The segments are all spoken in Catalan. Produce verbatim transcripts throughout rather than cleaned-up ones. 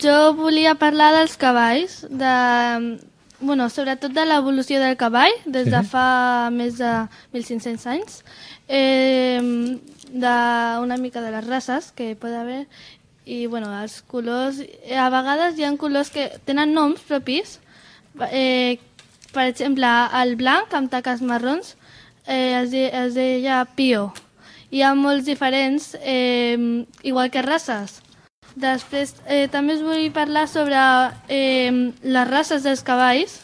Jo volia parlar dels cavalls, de, bueno, sobretot de l'evolució del cavall, des de Sí. fa més de mil cinc-cents anys, eh, d'una mica de les races que hi pot haver, i bueno, els colors, a vegades hi ha colors que tenen noms propis, eh, per exemple, el blanc amb taques marrons eh, es, de, es deia Pio. Hi ha molts diferents, eh, igual que races. Després eh, també us vull parlar sobre eh, les races dels cavalls,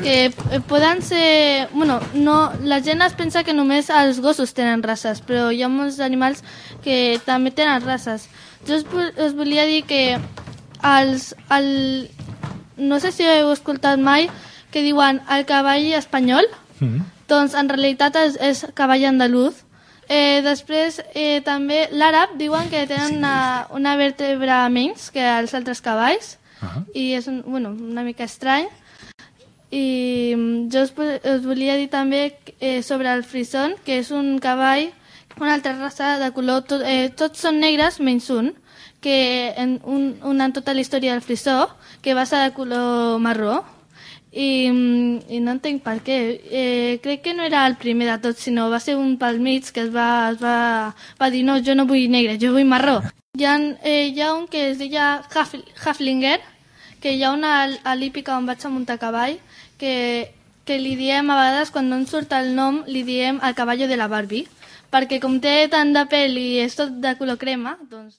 que eh, poden ser... Bueno, no, la gent es pensa que només els gossos tenen races, però hi ha molts animals que també tenen races. Jo us, us volia dir que els, el, no sé si heu escoltat mai que diuen el cavall espanyol, Mm. doncs en realitat és, és cavall andalús. Eh, després eh, també l'àrab diuen que tenen una, una vèrtebra menys que els altres cavalls, Ah. i és un, bueno, una mica estrany. I mm, jo us, us volia dir també eh, sobre el frison, que és un cavall, una altra raça de color, tot, eh, tots són negres menys un, que en, un, un en tota la història del frisó, que va ser de color marró, i, mm, i no entenc per què. Eh, crec que no era el primer de tots, sinó va ser un pel mig que es va, es va, va dir no, jo no vull negre, jo vull marró. Hi ha, eh, hi ha un que es deia Haf, Haflinger, que hi ha una a l'hípica on vaig a muntar cavall, que, que li diem a vegades, quan no ens surt el nom, li diem el caballo de la Barbie, perquè com té tant de pèl i és tot de color crema, doncs...